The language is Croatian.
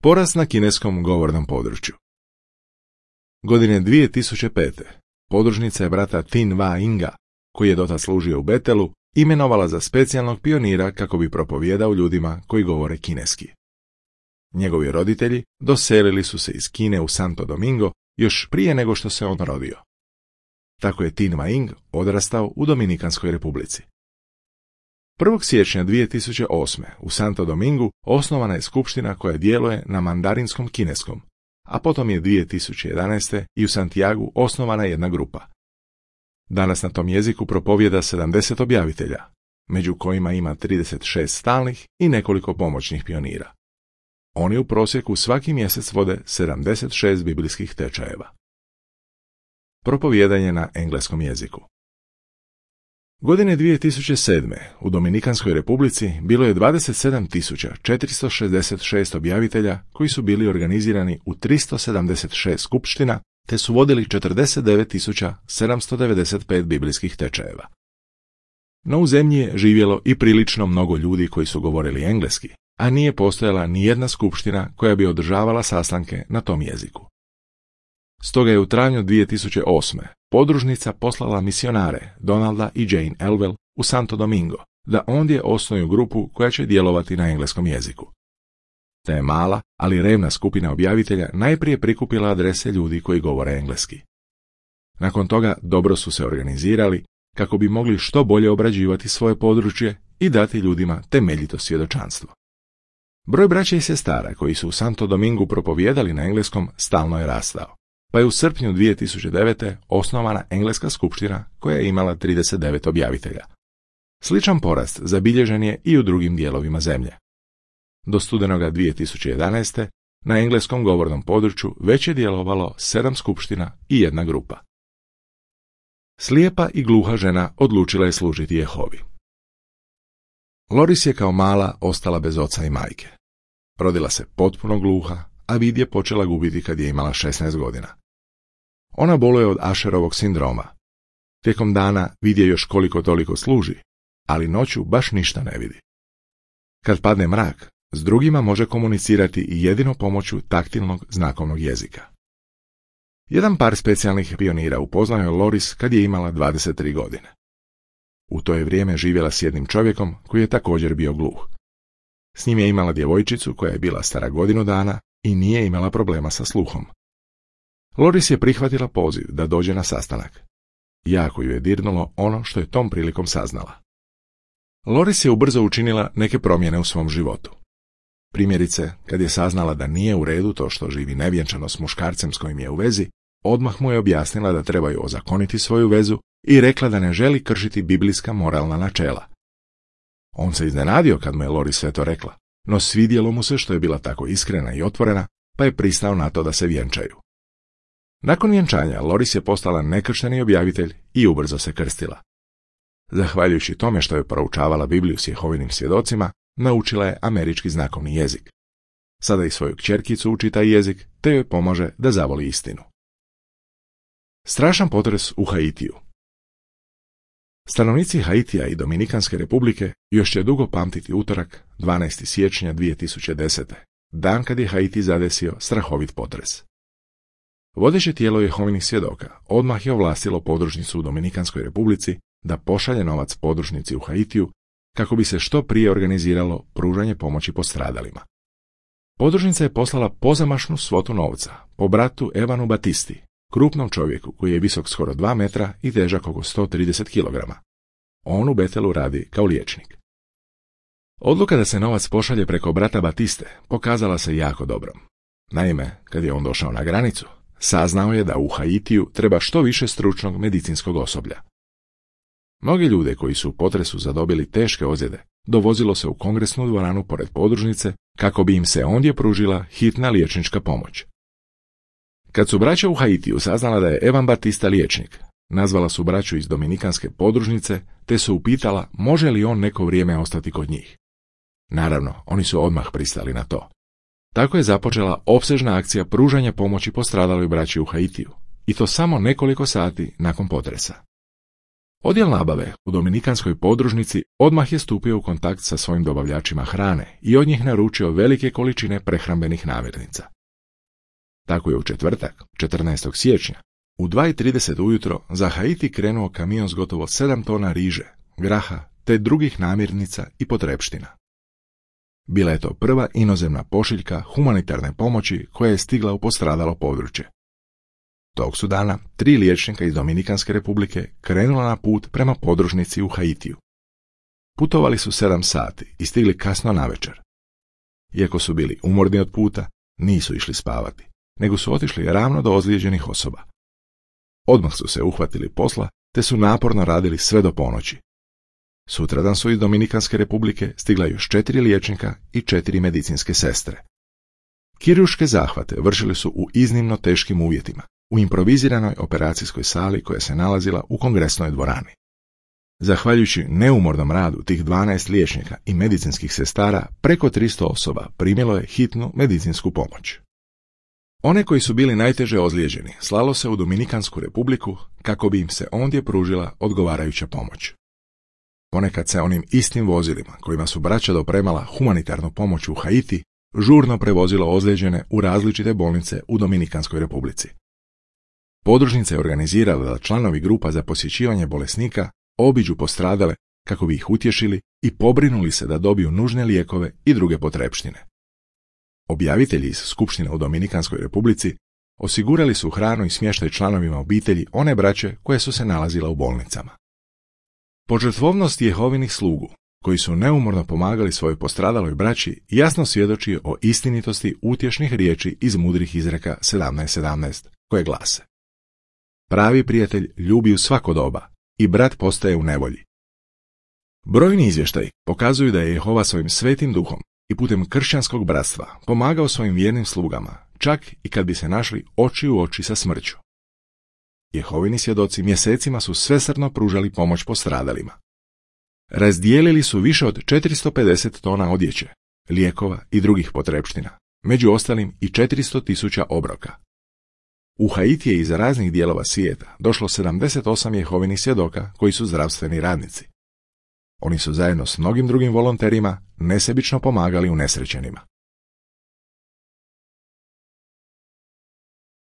Porast na kineskom govornom području. Godine 2005. podružnica je brata Tin Va Inga, koji je dotad služio u Bethelu, imenovala za specijalnog pionira kako bi propovijedao ljudima koji govore kineski. Njegovi roditelji doselili su se iz Kine u Santo Domingo još prije nego što se on rodio. Tako je Tin Va Ing odrastao u Dominikanskoj republici. 1. siječnja 2008. u Santo Domingu osnovana je skupština koja djeluje na mandarinskom kineskom, a potom je 2011. i u Santiagu osnovana jedna grupa. Danas na tom jeziku propovijeda 70 objavitelja, među kojima ima 36 stalnih i nekoliko pomoćnih pionira. Oni u prosjeku svaki mjesec vode 76 biblijskih tečajeva. Propovijedanje na engleskom jeziku. Godine 2007. u Dominikanskoj republici bilo je 27.466 objavitelja koji su bili organizirani u 376 skupština te su vodili 49.795 biblijskih tečajeva. No u zemlji je živjelo i prilično mnogo ljudi koji su govorili engleski, a nije postojala ni jedna skupština koja bi održavala sastanke na tom jeziku. Stoga je u travnju 2008. podružnica poslala misionare Donalda i Jane Elwell u Santo Domingo da ondje osnuju grupu koja će djelovati na engleskom jeziku. Ta je mala, ali revna skupina objavitelja najprije prikupila adrese ljudi koji govore engleski. Nakon toga dobro su se organizirali kako bi mogli što bolje obrađivati svoje područje i dati ljudima temeljito svjedočanstvo. Broj braće i sestara koji su u Santo Domingu propovijedali na engleskom stalno je rastao, pa je u srpnju 2009. osnovana engleska skupština koja je imala 39 objavitelja. Sličan porast zabilježen je i u drugim dijelovima zemlje. Do studenoga 2011. na engleskom govornom području već je djelovalo 7 skupština i jedna grupa. Slijepa i gluha žena odlučila je služiti Jehovi. Loris je kao mala ostala bez oca i majke. Rodila se potpuno gluha, a vid je počela gubiti kad je imala 16 godina. Ona boluje od Asherovog sindroma. Tijekom dana vid je još koliko toliko služi, ali noću baš ništa ne vidi. Kad padne mrak, s drugima može komunicirati i jedino pomoću taktilnog znakovnog jezika. Jedan par specijalnih pionira upoznao je Loris kad je imala 23 godine. U to je vrijeme živjela s jednim čovjekom koji je također bio gluh. S njim je imala djevojčicu koja je bila stara godinu dana i nije imala problema sa sluhom. Loris je prihvatila poziv da dođe na sastanak. Jako ju je dirnulo ono što je tom prilikom saznala. Loris je ubrzo učinila neke promjene u svom životu. Primjerice, kad je saznala da nije u redu to što živi nevjenčano s muškarcem s kojim je u vezi, odmah mu je objasnila da trebaju ozakoniti svoju vezu i rekla da ne želi kršiti biblijska moralna načela. On se iznenadio kad mu je Loris sve to rekla, no svidjelo mu se što je bila tako iskrena i otvorena, pa je pristao na to da se vjenčaju. Nakon vjenčanja Loris je postala nekršteni objavitelj i ubrzo se krstila. Zahvaljujući tome što je proučavala Bibliju s Jehovinim svjedocima, naučila je američki znakovni jezik. Sada i svoju kćerkicu uči taj jezik, te joj pomaže da zavoli istinu. Strašan potres u Haitiju. Stanovnici Haitija i Dominikanske republike još će dugo pamtiti utorak 12. siječnja 2010. dan kad je Haiti zadesio strahovit potres. Vodeće tijelo Jehovinih svjedoka odmah je ovlastilo podružnicu u Dominikanskoj republici da pošalje novac podružnici u Haitiju kako bi se što prije organiziralo pružanje pomoći postradalima. Podružnica je poslala pozamašnu svotu novca po bratu Evanu Batisti, krupnom čovjeku koji je visok skoro 2 metra i težak oko 130 kg. On u Bethelu radi kao liječnik. Odluka da se novac pošalje preko brata Batiste pokazala se jako dobrom. Naime, kad je on došao na granicu, saznao je da u Haitiju treba što više stručnog medicinskog osoblja. Mnogi ljude koji su u potresu zadobili teške ozljede dovozilo se u kongresnu dvoranu pored podružnice kako bi im se ondje pružila hitna liječnička pomoć. Kad su braća u Haitiju saznala da je Evan Batista liječnik, nazvala su braću iz Dominikanske podružnice te su upitala može li on neko vrijeme ostati kod njih. Naravno, oni su odmah pristali na to. Tako je započela opsežna akcija pružanja pomoći postradaloj braći u Haitiju, i to samo nekoliko sati nakon potresa. Odjel nabave u dominikanskoj podružnici odmah je stupio u kontakt sa svojim dobavljačima hrane i od njih naručio velike količine prehrambenih namirnica. Tako je u četvrtak, 14. siječnja, u 2:30 ujutro za Haiti krenuo kamion s gotovo 7 tona riže, graha te drugih namirnica i potrepština. Bila je to prva inozemna pošiljka humanitarne pomoći koja je stigla u postradalo područje. Tog su dana 3 liječnika iz Dominikanske republike krenula na put prema podružnici u Haitiju. Putovali su 7 sati i stigli kasno navečer. Iako su bili umorni od puta, nisu išli spavati, nego su otišli ravno do ozlijeđenih osoba. Odmah su se uhvatili posla, te su naporno radili sve do ponoći. Sutradan su iz Dominikanske republike stigla još 4 liječnika i 4 medicinske sestre. Kirurške zahvate vršili su u iznimno teškim uvjetima, u improviziranoj operacijskoj sali koja se nalazila u kongresnoj dvorani. Zahvaljujući neumornom radu tih 12 liječnika i medicinskih sestara, preko 300 osoba primilo je hitnu medicinsku pomoć. One koji su bili najteže ozlijeđeni slalo se u Dominikansku republiku kako bi im se ondje pružila odgovarajuća pomoć. Ponekad se onim istim vozilima kojima su braća dopremala humanitarnu pomoć u Haiti žurno prevozilo ozlijeđene u različite bolnice u Dominikanskoj republici. Podružnica je organizirala da članovi grupa za posjećivanje bolesnika obiđu postradale kako bi ih utješili i pobrinuli se da dobiju nužne lijekove i druge potrepštine. Objavitelji iz Skupštine u Dominikanskoj republici osigurali su hranu i smještaj članovima obitelji one braće koje su se nalazila u bolnicama. Požrtvovnost Jehovinih slugu, koji su neumorno pomagali svojoj postradaloj braći, jasno svjedoči o istinitosti utješnih riječi iz mudrih izreka 17:17, koje glase: pravi prijatelj ljubi u svako doba i brat postaje u nevolji. Brojni izvještaji pokazuju da je Jehova svojim svetim duhom i putem kršćanskog bratstva pomagao svojim vjernim slugama, čak i kad bi se našli oči u oči sa smrću. Jehovini svjedoci mjesecima su svesrdno pružali pomoć postradalima. Razdijelili su više od 450 tona odjeće, lijekova i drugih potrepština, među ostalim i 400.000 obroka. U Haiti je iz raznih dijelova svijeta došlo 78 Jehovinih svjedoka koji su zdravstveni radnici. Oni su zajedno s mnogim drugim volonterima nesebično pomagali unesrećenima.